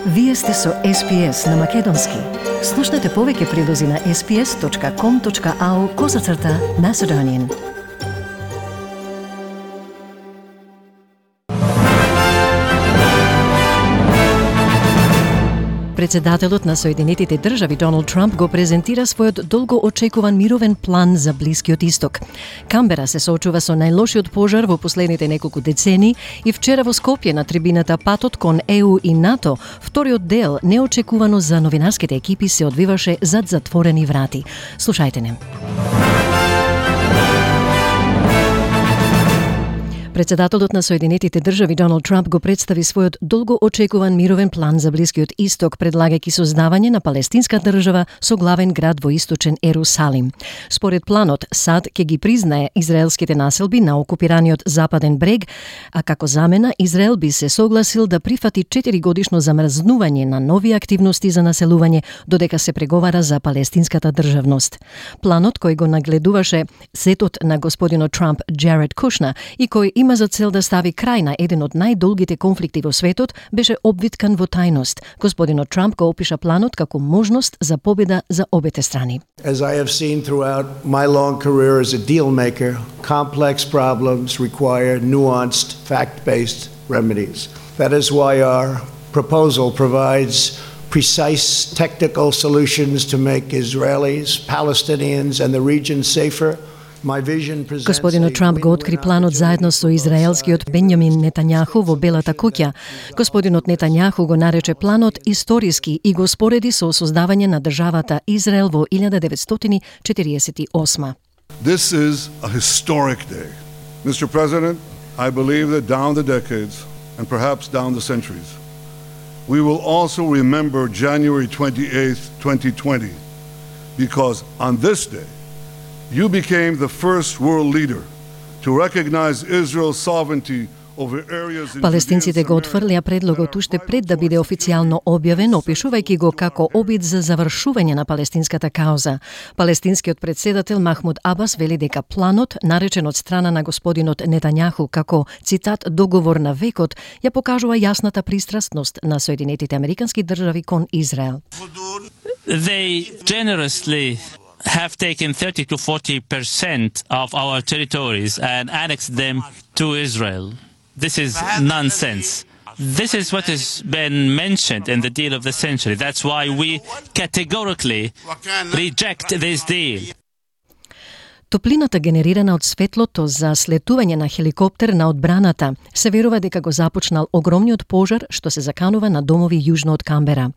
Вие сте со SPS на Македонски. Слушнете повеќе прилози на sps.com.au/Macedonian. Председателот на Соединетите држави Доналд Трамп го презентира својот долго очекуван мировен план за Блискиот Исток. Камбера се соочува со најлошиот пожар во последните неколку децении и вчера во Скопје на трибината Патот кон ЕУ и НАТО, вториот дел неочекувано за новинарските екипи се одвиваше зад затворени врати. Слушајте не. Председателот на Соединетите држави Доналд Трамп го представи својот долго очекуван мировен план за Блискиот Исток, предлагајќи создавање на палестинска држава со главен град во источен Ерусалим. Според планот, САД ќе ги признае израелските населби на окупираниот западен брег, а како замена Израел би се согласил да прифати 4-годишно замрзнување на нови активности за населување додека се преговара за палестинската државност. Планот кој го нагледуваше сетот на господинот Трамп Джаред Кушнер и кој има за цел да стави крај на еден од најдолгите конфликти во светот, беше обвиткан во тајност. Господинот Трамп го опиша планот како можност за победа за обете страни. As I have seen throughout my long career as a deal maker, complex problems require nuanced, fact-based remedies. That is why our proposal provides precise technical solutions to make Israelis, Palestinians and the region safer. Господинот Трамп го откри планот заедно со израелскиот Бенјамин Нетањаху во Белата куќа. Господинот Нетањаху го нарече планот историски и го спореди со создавање на државата Израел во 1948. This is a historic day. Mr. President, I believe that down the decades and perhaps down the centuries, we will also remember January 28th, 2020, because on this day, you became the first world leader to recognize Israel's sovereignty over areas in Палестинците го отфрлија предлогот уште пред да биде официјално објавен, опишувајќи го како обид за завршување на палестинската кауза. Палестинскиот председател Махмуд Абас вели дека планот, наречен од страна на господинот Нетањаху како, цитат, договор на векот, ја покажува јасната пристрасност на Соединетите Американски држави кон Израел. They generously have taken 30 to 40% of our territories and annexed them to Israel. This is nonsense. This is what has been mentioned in the deal of the century. That's why we categorically reject this deal. Топлината генерирана од светлото за слетување на хеликоптер на одбраната се верува дека го започнал огромниот пожар што се заканува на домови јужно од Камбера.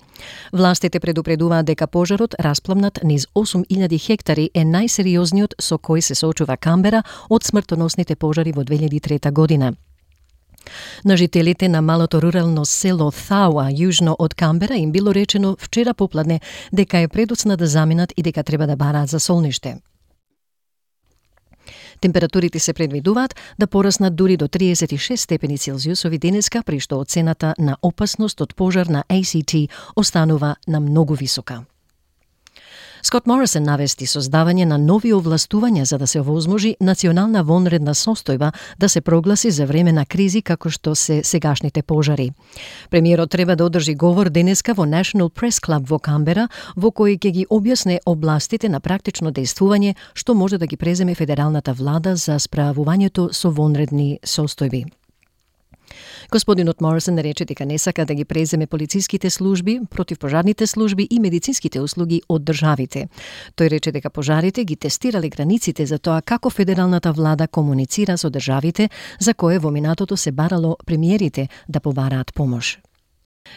Властите предупредуваат дека пожарот, распламнат низ 8000 хектари, е најсериозниот со кој се соочува Камбера од смртоносните пожари во 2003 година. На жителите на малото рурално село Thauа, јужно од Камбера, им било речено вчера попладне дека е предоцна да заминат и дека треба да бараат за солниште. Температурите се предвидуваат да пораснат дури до 36 степени Целзиусови денеска, при што оцената на опасност од пожар на ACT останува на многу висока. Скот Морисон навести создавање на нови овластувања за да се овозможи национална вонредна состојба да се прогласи за време на кризи како што се сегашните пожари. Премиерот треба да одржи говор денеска во National Press Club во Камбера, во кој ќе ги објасне областите на практично дејствување што може да ги преземе федералната влада за справувањето со вонредни состојби. Господинот Морисон рече дека не сака да ги преземе полициските служби, противпожарните служби и медицинските услуги од државите. Тој рече дека пожарите ги тестирале границите за тоа како федералната влада комуницира со државите за кое во минатото се барало премиерите да побараат помош.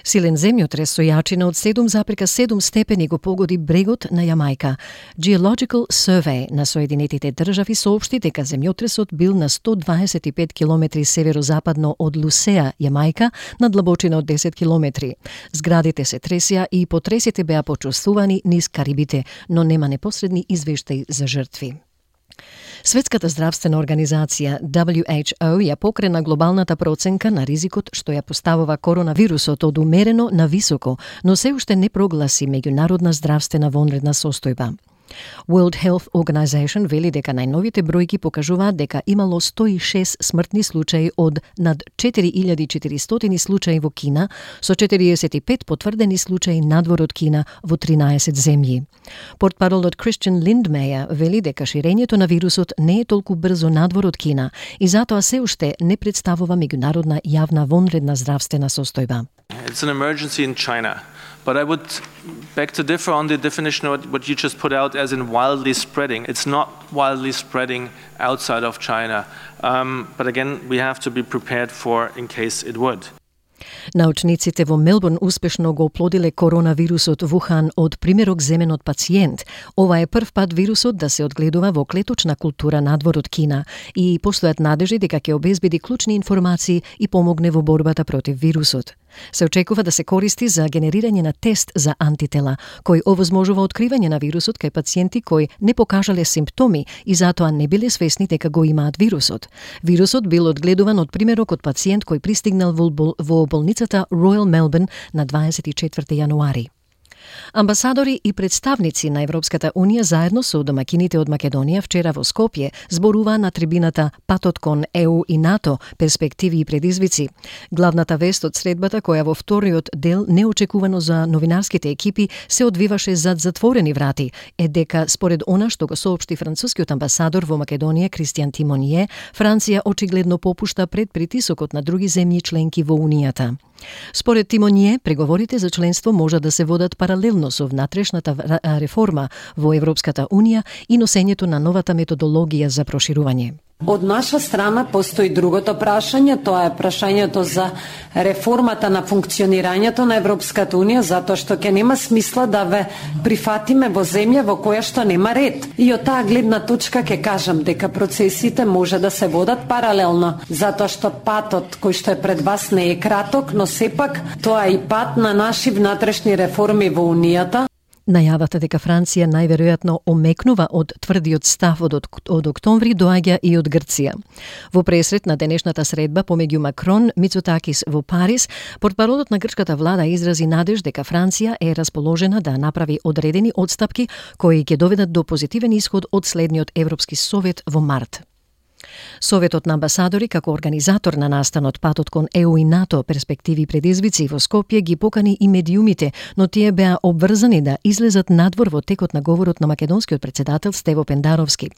Силен земјотрес со јачина од 7,7 степени го погоди брегот на Јамајка. Geological Survey на Соединетите држави соопшти дека земјотресот бил на 125 километри северозападно од Лусеа, Јамајка, на длабочина од 10 километри. Зградите се тресија и потресите беа почувствувани низ Карибите, но нема непосредни извештаи за жртви. Светската здравствена организација WHO ја покрена глобалната проценка на ризикот што ја поставува коронавирусот од умерено на високо, но се уште не прогласи меѓународна здравствена вонредна состојба. World Health Organization вели дека најновите бројки покажуваат дека имало 106 смртни случаи од над 4400 случаи во Кина, со 45 потврдени случаи надвор од Кина во 13 земји. Портпаролот Christian Lindmeier вели дека ширењето на вирусот не е толку брзо надвор од Кина и затоа се уште не представува меѓународна јавна вонредна здравствена состојба. It's an emergency in China. But I would beg to differ on the definition of what you just put out as in wildly spreading. It's not wildly spreading outside of China. But again, we have to be prepared for in case it would. Научниците во Мелбурн успешно го оплодиле коронавирусот Вухан од примерок земен од пациент. Ова е прв пат вирусот да се одгледува во клеточна култура надвор од Кина и постојат надежи дека ќе обезбеди клучни информации и помогне во борбата против вирусот. Се очекува да се користи за генерирање на тест за антитела, кој овозможува откривање на вирусот кај пациенти кои не покажале симптоми и затоа не биле свесни дека го имаат вирусот. Вирусот бил одгледуван од примерок од пациент кој пристигнал во болницата Royal Melbourne на 24 јануари. Амбасадори и представници на Европската Унија заедно со домакините од Македонија вчера во Скопје зборуваа на трибината Патот кон ЕУ и НАТО, перспективи и предизвици. Главната вест од средбата, која во вториот дел неочекувано за новинарските екипи се одвиваше зад затворени врати, е дека според она што го соопшти францускиот амбасадор во Македонија Кристијан Тимоние, Франција очигледно попушта пред притисокот на други земји членки во Унијата. Според Тимоние, преговорите за членство може да се водат паралелно со внатрешната реформа во Европската Унија и носењето на новата методологија за проширување. Од наша страна постои другото прашање, тоа е прашањето за реформата на функционирањето на Европската Унија, затоа што ќе нема смисла да ве прифатиме во земја во која што нема ред. И од таа гледна точка ќе кажам дека процесите може да се водат паралелно, затоа што патот кој што е пред вас не е краток, но сепак тоа е и пат на наши внатрешни реформи во Унијата. Најавата дека Франција најверојатно омекнува од тврдиот став од октомври доаѓа и од Грција. Во пресрет на денешната средба помеѓу Макрон Мицотакис во Париз, портпаролот на грчката влада изрази надеж дека Франција е расположена да направи одредени отстапки кои ќе доведат до позитивен исход од следниот Европски совет во март. Советот на амбасадори како организатор на настанот Патот кон ЕУ и НАТО, перспективи и предизвици во Скопје ги покани и медиумите, но тие беа обврзани да излезат надвор во текот на говорот на македонскиот претседател Стево Пендаровски.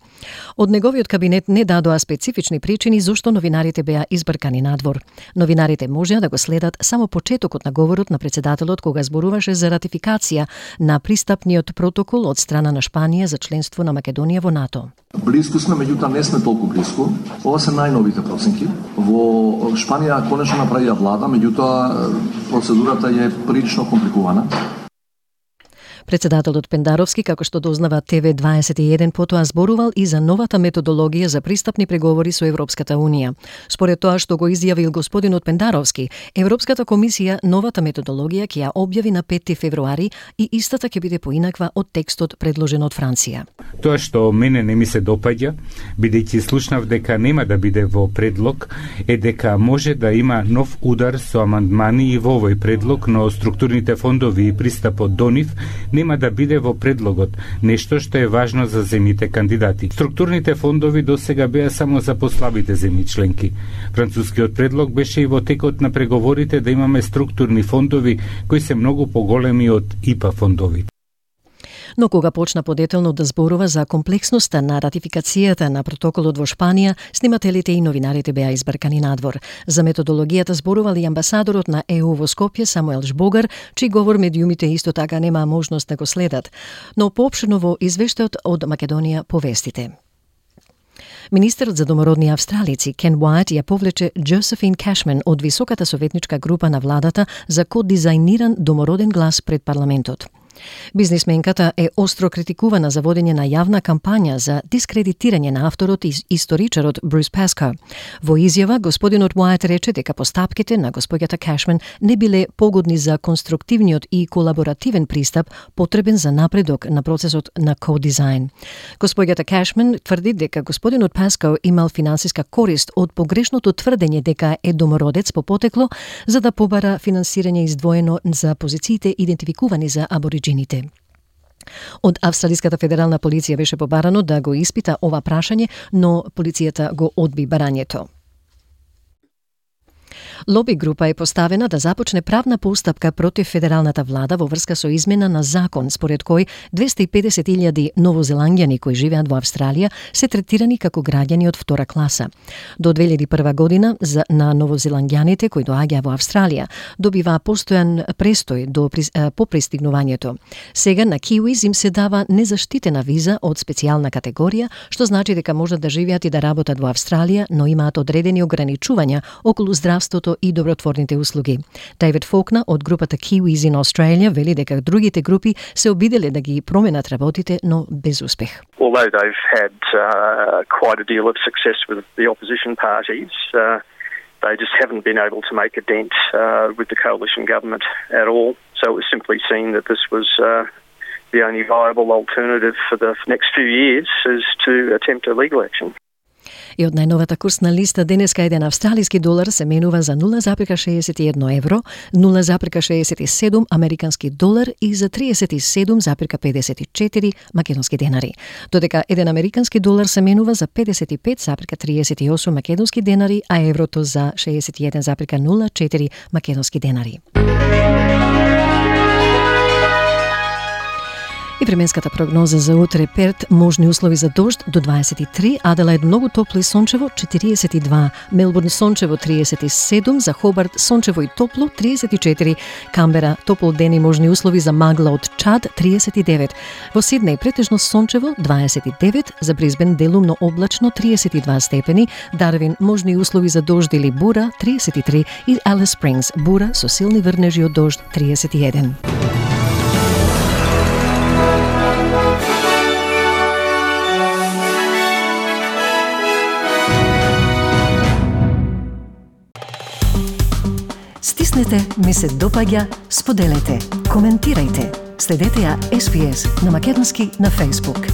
Од неговиот кабинет не дадоа специфични причини зошто новинарите беа избркани надвор. Новинарите можеа да го следат само почетокот на говорот на претседателот кога зборуваше за ратификација на пристапниот протокол од страна на Шпанија за членство на Македонија во НАТО. Близко сме, меѓутоа не сме толку близко. Ова се најновите проценки. Во Шпанија конечно направија влада, меѓутоа процедурата е прилично компликувана. Председателот Пендаровски, како што дознава ТВ21, потоа зборувал и за новата методологија за пристапни преговори со Европската Унија. Според тоа што го изјавил господинот Пендаровски, Европската комисија новата методологија ќе ја објави на 5 февруари и истата ќе биде поинаква од текстот предложен од Франција. Тоа што мене не ми се допаѓа, бидејќи слушнав дека нема да биде во предлог, е дека може да има нов удар со амандмани и во овој предлог, но структурните фондови и пристапот до нив нема да биде во предлогот, нешто што е важно за земјите кандидати. Структурните фондови досега беа само за послабите земји членки. Францускиот предлог беше и во текот на преговорите да имаме структурни фондови кои се многу поголеми од ИПА фондови. Но кога почна подетелно да зборува за комплексноста на ратификацијата на протоколот во Шпанија, снимателите и новинарите беа избркани надвор. За методологијата зборувал и амбасадорот на ЕУ во Скопје Самуел Жбогар, чиј говор медиумите исто така немаа можност да го следат. Но поопширно во извештајот од Македонија повестите. Министерот за домородни австралици Кен Уајт ја повлече Джозефин Кашман од високата советничка група на владата за кодизајниран домороден глас пред парламентот. Бизнисменката е остро критикувана за водење на јавна кампања за дискредитирање на авторот и историчарот Брус Паскал. Во изјава, господинот Уајт рече дека постапките на господјата Кашман не биле погодни за конструктивниот и колаборативен пристап потребен за напредок на процесот на кодизајн. Господјата Кашман тврди дека господинот Паскал имал финансиска корист од погрешното тврдење дека е домородец по потекло за да побара финансирање издвоено за позициите идентификувани за абориџините. Од Австралиската федерална полиција беше побарано да го испита ова прашање, но полицијата го одби барањето. Лоби група е поставена да започне правна постапка против федералната влада во врска со измена на закон според кој 250.000 новозеландјани кои живеат во Австралија се третирани како граѓани од втора класа. До 2001 година на новозеландјаните кои доаѓаа во Австралија добива постојан престој по пристигнувањето. Сега на киуиз им се дава незаштитена виза од специјална категорија, што значи дека можат да живеат и да работат во Австралија, но имаат одредени ограничувања околу здравството и добротворните услуги. Дейвид Фолкнер од групата Kiwis in Australia вели дека другите групи се обиделе да ги променат работите, но без успех. Although they've had quite a deal of success with the opposition parties, they just haven't been able to make a dent with the coalition government at all. So it was simply seen that this was the only viable alternative for the next few years is to attempt a legal action. И од најновата курсна листа денеска еден австралиски долар се менува за 0,61 евро, 0,67 американски долар и за 37,54 македонски денари. Додека еден американски долар се менува за 55,38 македонски денари, а еврото за 61,04 македонски денари. И временската прогноза за утре: Перт можни услови за дожд до 23, Аделаид многу топло и сончево 42, Мелбурн сончево 37, за Хобарт сончево и топло 34, Камбера топол ден и можни услови за магла од Чад 39, во Сиднеј претежно сончево 29, за Брисбен делумно облачно 32 степени, Дарвин можни услови за дожд или бура 33 и Алис Спрингс бура со силни врнежи од дожд 31. Стиснете, ми се допаѓа, споделете, коментирајте. Следете ја SPS на македонски на Facebook.